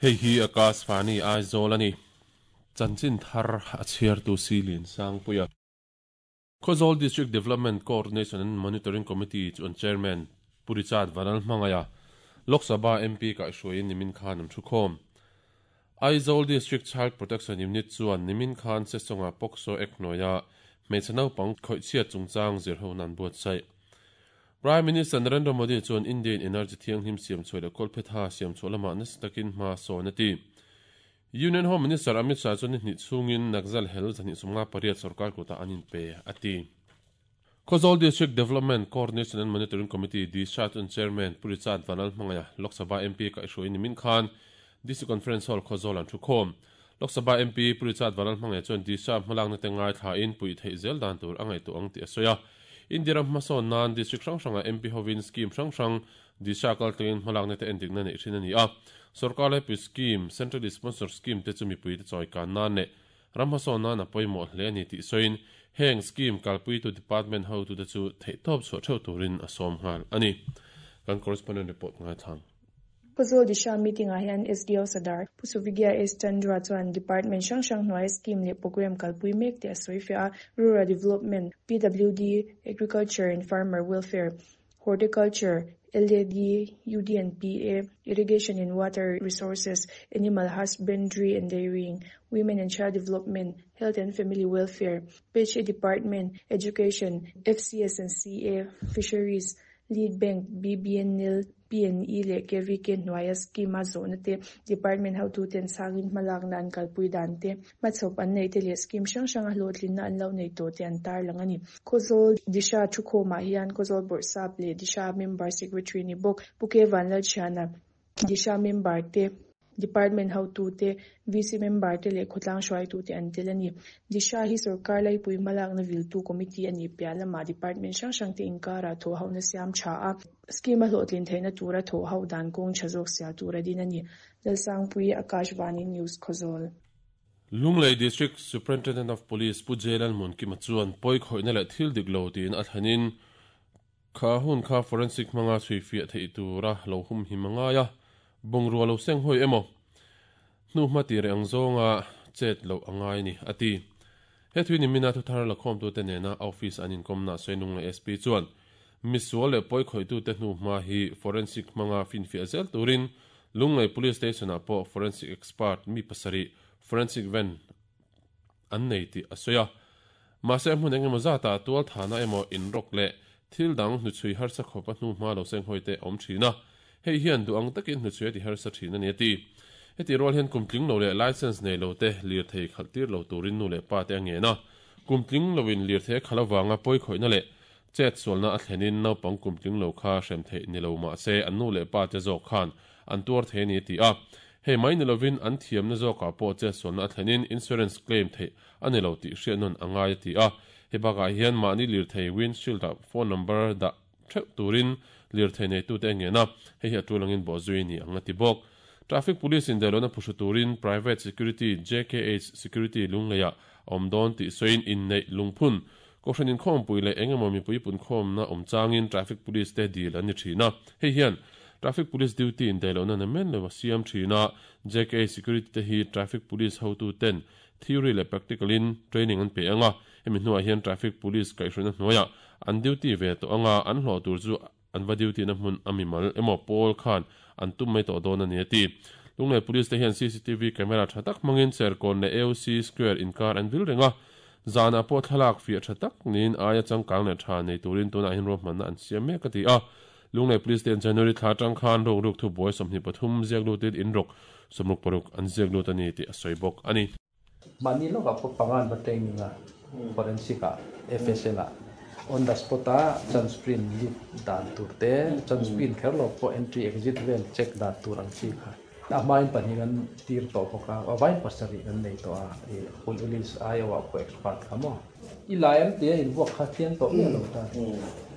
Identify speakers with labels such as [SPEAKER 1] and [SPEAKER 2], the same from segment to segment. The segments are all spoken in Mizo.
[SPEAKER 1] Hei hi Akashvani Aizawl a ni. Chanchin thar a chhiartu Silin Sangpuia. Khawzawl District Development Coordination and Monitoring Committee chu an Chairman Pu Richard Vanlalhmangaiha, Lok Sabha MP kaihhruaiin nimin khan an thukhawm. Aizawl District Child Protection Unit chuan nimin khan Sesonga POCSO Act hnuaia hmeichhe naupang khawihchhiat chungchang zirhona an buatsaih. Prime Minister Narendra Modi chuan India-in energy thianghlim siamchhuah leh kawlphetha siamchhuah lamah nasa takin hma sawn a ti. Union Home Minister Amit Shah chuan ni hnih chhungin Naxal hel 258 sorkar kutah an inpe a ti. Khawzawl District Development Coordination and Monitoring Committee, DISHA, chuan Chairman Pu Richard Vanlalhmangaiha, Lok Sabha MP kaihhruaiin nimin khan DC Conference Hall Khawzawl an thukhawm. Lok Sabha MP Pu Richard Vanlalhmangaiha chuan DISHA hmalakna te ngaithlain puih theih zel dan tur a ngaihtuah ang tih a sawi a. India ram hmasawn nan District hrang hrangah MP hovin scheme hrang hrang DISHA kaltlingin hmalakna te endikna neih thin a ni a. Sorkar laipui scheme, Centrally Sponsored Scheme te chu mipuite chawikan nan leh ram hmasawn nan a pawimawh hle a ni tih sawiin heng scheme kalpuitu department hotute chu theihtawp chhuah theuh turin a sawm nghal a ni. Kan correspondent report ngaithlang.
[SPEAKER 2] Khawzawl Disha meeting-ah hian SDO Sadar Pu Suvigya S. Chandra chuan department hrang hrang hnuaia scheme leh programme kalpui mek te a sawi fiah a, Rural Development, PWD, Agriculture and Farmer Welfare, Horticulture, LAD, UDNPA, Irrigation and Water Resources, Animal Husbandry and Dairying, Women and Child Development, Health and Family Welfare, PHE Department, Education, FCS and CA, Fisheries, Lead Bank, BBNL, PNE leh KVK hnuaia scheme-a zawhna te, Department hotuten sangin hmalakna an kalpui dan te, hmachhawp an neih te leh scheme hrang hranga hlawhtlinna an lo nei tawh te an tarlang a ni. Khawzawl Disha thukhawmah hian Khawzawl Bawrhsap leh Disha Member Secretary ni bawk Pu K Vanlalthiana, Disha Member te, Department hotute, VC member te leh khawtlang hruaitute an tel a ni. Disha hi sorkar laipui hmalakna viltu committee a nih piah lamah department hrang hrang te inkarah thawhhohna siam tha a, scheme a hlawhtlin theihna tura thawhho dan kawng tha zawk sial tura din a ni. Lalsangpui, Akashvani News, Khawzawl.
[SPEAKER 1] Lunglei District Superintendent of Police Pu J Lalmunkima chuan pawi khawihna leh thil dik lo tiin a thlenin Kha hun kha forensic hmanga chhuifiah theih tura lo humhim a ngai a, bungrua lo seng hawi emaw, hnuhma ti reh ang zawnga chet loh a ngai a ni, a ti. He thui nimina thuthar lakhawmtute nena office an inkawmna Sainung leh SP chuan misual leh pawikhawitute hnuhma hi forensic hmanga finfiah zel turin Lunglei Police Station-ah pawh forensic expert mi pasarih forensic van an nei tih a sawi a. Mahse a hmun engemaw zatah tual thahna emaw inrawk leh thil dang hnuchhui harsa khawp a hnu hma lo senghawi te a awm thin a, hei hian duh ang takin hnuchhui a ti harsa thin a ni a ti. Hetih rual hian kum tling lo leh license nei lo te lirthei khalh tir lo turin nu leh pa te a ngen a, kum tling loin lirthei a khalh avanga pawikhawihna leh chet sualna a thlenin naupang kum tling lo kha hrem theih ni lo mahse an nu leh pa te zawk khan an tuar thei a ni a ti a. Hei mai ni lovin an thiamna zawkah pawh chet sualna a thlenin insurance claim theih a ni lo tih hriat nawn a ngai a ti a. Hei bakah hian mahni lirthei windshield-ah phone number dah theuh turin lirthei neitute a ngen a, hei hi a tul angin bawhzui a ni ang a ti bawk. Traffic Police in dailohna phuhru turin Private Security JKH Security Lungleiah a awm dawn tih sawiin inneih lungphun Kohhran inkhawmpui leh eng emaw mipui punkhawmna awm changin Traffic Police te dil an ni thin a, hei hian Traffic Police duty indaihlohna namen lo a siam thin a, JKH Security te hi Traffic Police hotu ten Theory leh practical in training an pe ang a, hemi hnuah hian traffic police kaihhruaina hnuaiah an duty ve tawh ang a, an hlawh tur chu an va duty na hmun a mimal emaw pawl khan an tum mai tawh dawn a ni a ti. Lunglei police te hian cctv camera tha tak hmangin Serkawn leh AOC Square inkar an vil reng a, zanah pawh thlalak fiah tha tak niin aia changkang leh tha nei turin tunah hian ruahmanna an siam mek a ti a. Lunglei Police te January thla atang khan ruk ruk thubuai 23 ziak lutin in ruk 66 an ziak lut a ni tih a sawi bawk a ni.
[SPEAKER 3] Mahni lawkah pawh panga an va training a, forensic ah, FSL ah, on the spot a sunscreen lut dan tur te, sunscreen kher lo pawh entry exit vel check dan tur ang chi kha. A hmain pahnih kan tir tawh bawk a, a vain pasarih kan nei tawh a, i police aiawh ah pawh expert kha maw. I lai ang tia invuak kha thiang tawh miah lo ta.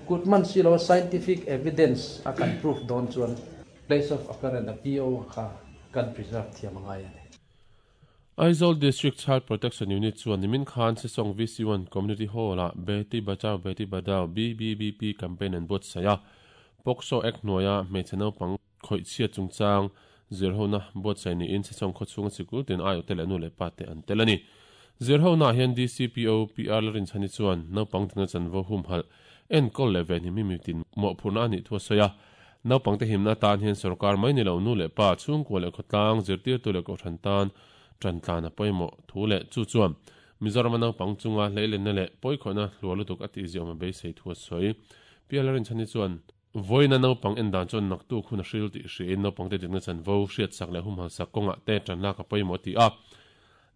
[SPEAKER 3] Kut man si lo scientific evidence a kan proof dawn chuan place of occurrence a PO kha kan preserve thiam a ngai a ni.
[SPEAKER 1] Aizawl District Child Protection Unit chuan nimin khan Sesawng VC1 Community Hall-ah Beti Bachao Beti Padhao, BBBP, campaign an buatsaih a. POCSO Act hnuaia hmeichhe naupang khawihchhiat chungchang zirhona buatsaih niin Sesawng khawchhunga sikul tin aiawhte leh nu leh pa te an tel a ni. Zirhona hian DCPO PR Lalrinchhani chuan naupang dikna chanvo humhalh enkawl leh venhim hi mitin mawhphurhna a nih thu a sawi a. Naupangte himna atan hian sorkar mai ni lo nu leh pa, chhungkua leh khawtlang, zirtirtu leh kohhran tan ṭantlan a pawimawh thu leh chu chuan Mizorama naupang chunga hleilenna leh pawikhawihna hluar lutuk a tihziawm a beisei thu a sawi. PR Lalrinchhani chuan Vawiina naupang en dan chuan naktuk hun a hril tih hriain naupangte dikna chanvo, hriatsak leh humhalsak kawngah te ṭanlak a pawimawh a ti a.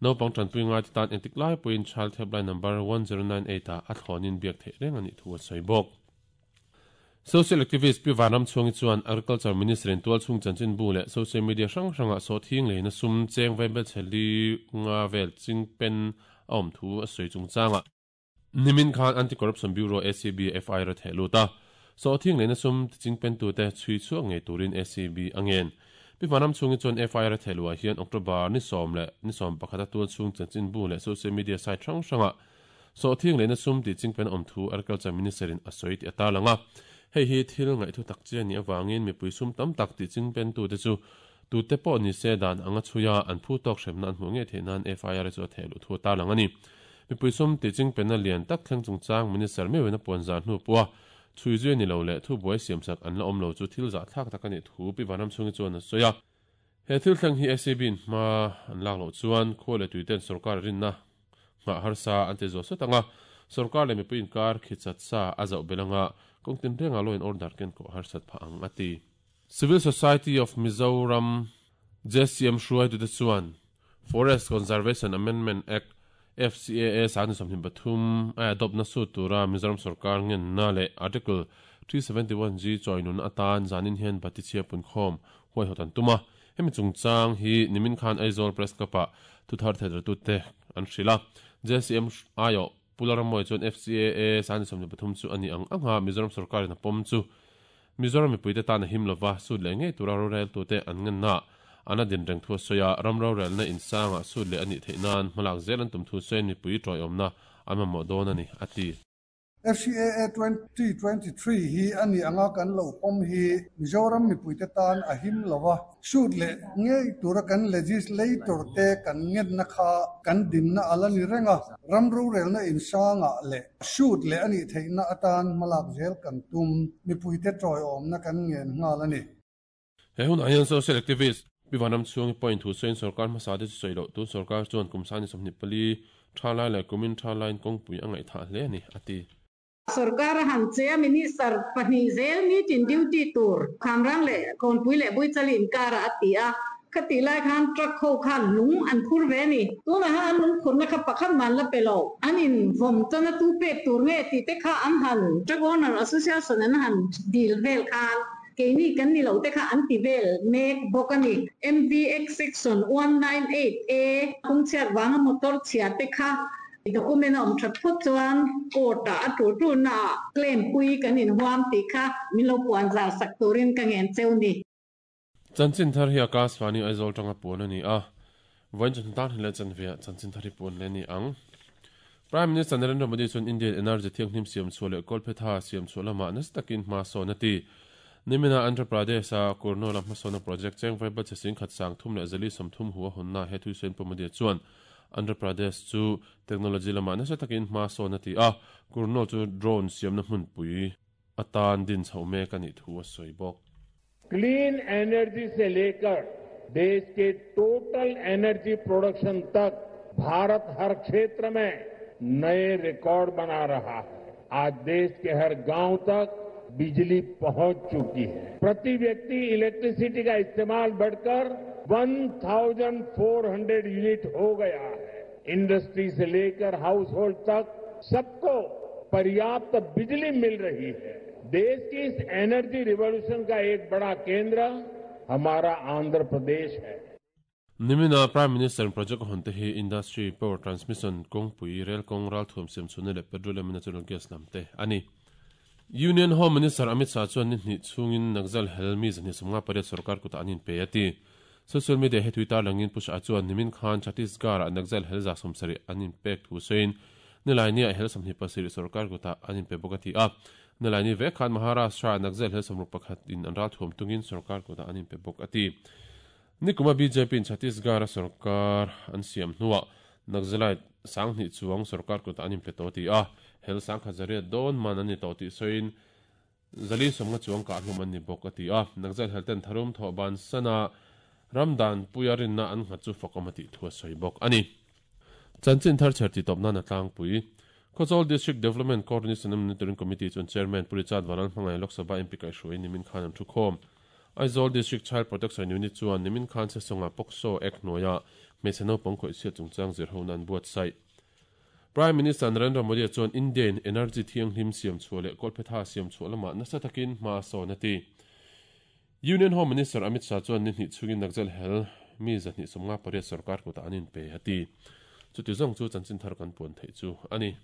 [SPEAKER 1] Naupang ṭanpui ngaite tan engtik lai pawhin Child Helpline number 1098 ah a thlawnin biak theih reng a nih thu a sawi bawk. Social activist Pi Vanramchhuangi chuan Agriculture Minister in tualchhung chanchinbu leh social media hrang hrangah sawhthing leina sum cheng vaibel chhe li nga vel chingpen a awm thu a sawi chungchangah, Nimin khan Anti-Corruption Bureau, ACB, FIR a theh lut a, sawhthing leina sum tichingpentute chhui chhuak ngei turin ACB a ngen. Pi Hmanram chhungi chuan FIR a theh luhah hian October ni sawm leh ni sawm pakhat a tual chhung chanchinbu leh social media site hrang hrangah sawhthing leina sum tichingpen awm thu Agriculture Minister in a sawi tih a tarlang a. Hei hi thil ngaihthu tak chi a nih avangin mipui sum tam tak tichingpentute chu tute pawh ni se dan anga chhuia an phu tawk hremna an hmuh ngei theih nan FIR chu a theh luh thu a tarlang a ni. Mipui sum tih chingpenna lian tak thleng chungchang Minister meuhin a puan zar hnu pawha chhui zui a ni lo leh thubuai siamsak an la awm lo chu thil zahthlak tak a nih thu Pi Vanramchhungi chuan a sawi a. He thil thleng hi ACB-in hma an lak loh chuan khua leh tuiten sorkar rinna nghah harsa an ti zual sawt ang a, sorkar leh mipui inkar khichat sa a zauh belh anga kawng tinrengah law in order ken kawh harsat phah ang a ti. Civil Society of Mizoram JCM hruaitute chuan Forest Conservation Amendment Act, FCAA, 2023 a adopt na sut tura Mizoram sorkar ngenna leh Article 371G chawinun atan zanin hian Batichhia punkhawm huaihawt an tum a. Hemi chungchang hi nimin khan Aizawl Press Club-ah thuthar theihdartute an hrilh a. JCM aiawh Pu Lalramawia chuan FCAA 2023 chu a ni ang anga Mizoram sorkarin a pawm chu Mizoram mipuite tan a him lova, sut leh ngei tura roreltute an ngenna an a din reng thu a sawi a, ram rorelna insangah sut leh a nih theih nan hmalak zel an tum thu sawiin mipui tawiawmna an mamawh dawn a ni, a ti.
[SPEAKER 4] FCAA 2023 hi a nih anga kan lo pawm hi Mizoram mipuite tan a him lova, sut leh ngei tura kan legislator te kan ngenna kha kan dinna a la ni reng a, ram rorelna insangah leh Shoot leh a nih theihna atan hmalak zel kan tum, mipuite tawiawmna kan ngen nghal a ni.
[SPEAKER 1] He hunah hian social activist Pi Vanramchhuangi pawhin thu sawiin sorkar hmasa te chu sawi loh tun sorkar chuan kum sani 24 tha lai leh kumin tha laiin kawngpui a ngaihthah hle a ni, a ti.
[SPEAKER 5] Sorkar a han che a, Minister pahnih zel meeting duty tur Khamrang leh Kawnpui leh Buichali inkarah a ti a, Khatih lai khan truck ho khan lung an phur ve a ni. Tunah khan an lung phurna kha pakhat mah an la pe lo. An in vawm chuan a tu pek tur nge tih te kha an han Truck Owner Association an han dil vel khan keini kan ni lo te kha an ti vel mek bawk a ni. MVX Section 198 A kawngchhiat vanga motor chhia te kha document a awm that phawt chuan court ah a tur turna ah claim pui kan inhuam tih kha min lo puan zar sak turin ka ngen cheu ni.
[SPEAKER 1] Chanchin thar hi Akashvani Aizawl tanga puan a ni a, vawiin chawhnu tan leh chanveah chanchin thar hi puan leh a ni ang. Prime Minister Narendra Modi chuan Indian energy thianghlim siam chhuah leh kawlphetha siam chhuah lamah nasa takin hma sawn a ti. Nimina Andhra Pradesh-a Kurnool-a hmasawnna project cheng vaibel chhe sing khat sang thum leh zali 30 hu a hawnna he thuisawiin Pu Modi chuan Andhra Pradesh chu technology lamah nasa takin hma sawn a ti a, Kurnool chu drone siamna hmunpui atan din chhoh mek a nih thu a sawi bawk.
[SPEAKER 6] Clean energy se lekar देश के total energy production तक भारत हर क्षेत्र में नए record बना रहा है। आज देश के हर गांव तक बिजली पहुंच चुकी है। प्रति व्यक्ति इलेक्ट्रिसिटी का इस्तेमाल बढ़कर 1400 यूनिट हो गया है। इंडस्ट्री से लेकर हाउस होल्ड तक सबको पर्याप्त बिजली मिल रही है। देश की इस एनर्जी रिवॉल्यूशन का एक बड़ा केंद्र हमारा आंध्र प्रदेश है।
[SPEAKER 1] Nimina Prime Minister project a hawn te hi Industry, Power Transmission, kawngpui, Rail kawng, ralthuam siam chhunna leh Petroleum and Natural Gas lam te a ni. Union Home Minister Amit Shah chuan ni hnih chhungin Naxal hel mi 258 sorkar kutah an inpe a ti. Social media he tui tarlangin Pu Shah chuan nimin khan Chhattisgarh-ah Naxal hel 70 an inpek thu sawiin Nilaini-ah hel 27 sorkar kutah an inpe bawk a ti a. Nilaini vek khan Maharashtra-ah Naxal hel 61 in an ralthuam tungin sorkar kutah an inpe bawk a ti. Nikuma BJP in Chhattisgarh a sarkar an siam hnuah Naxalite 2000 chuang sarkar kutah an inpe tawh a ti a, hel 1800 dawn man an ni tawh tih sawiin 450 chuang kah hlum an ni bawk a ti a. Naxalite helten tharum thawh bansana ram danpuia rinna an nghat chu fakawm a tih thu a sawi bawk a ni. Chanchin thar chher tih tawp nan a tlangpui. Khawchawl District Development Coordination and Monitoring Committee chuan Chairman Pu Richard Vanal hmangaih Lok Sabha MP kaihhruaiin nimin khan an thukhawm. Aizawl District Child Protection Unit chuan nimin khan Sesawngah POCSO Act hnuaia hmeichhe naupang khawihchhiat chungchang zirhona an buatsaih. Prime Minister Narendra Modi-a chuan India-in energy thianghlim siam chhuah leh kawlphetha siam chhuah lamah nasa takin hma a sawn a ti. Union Home Minister Amit Shah chuan ni hnih chhungin Naxal hel mi 258 sorkar kutah an inpe a ti. Chuti zawng chu chanchin thar kan puan theih chu a ni.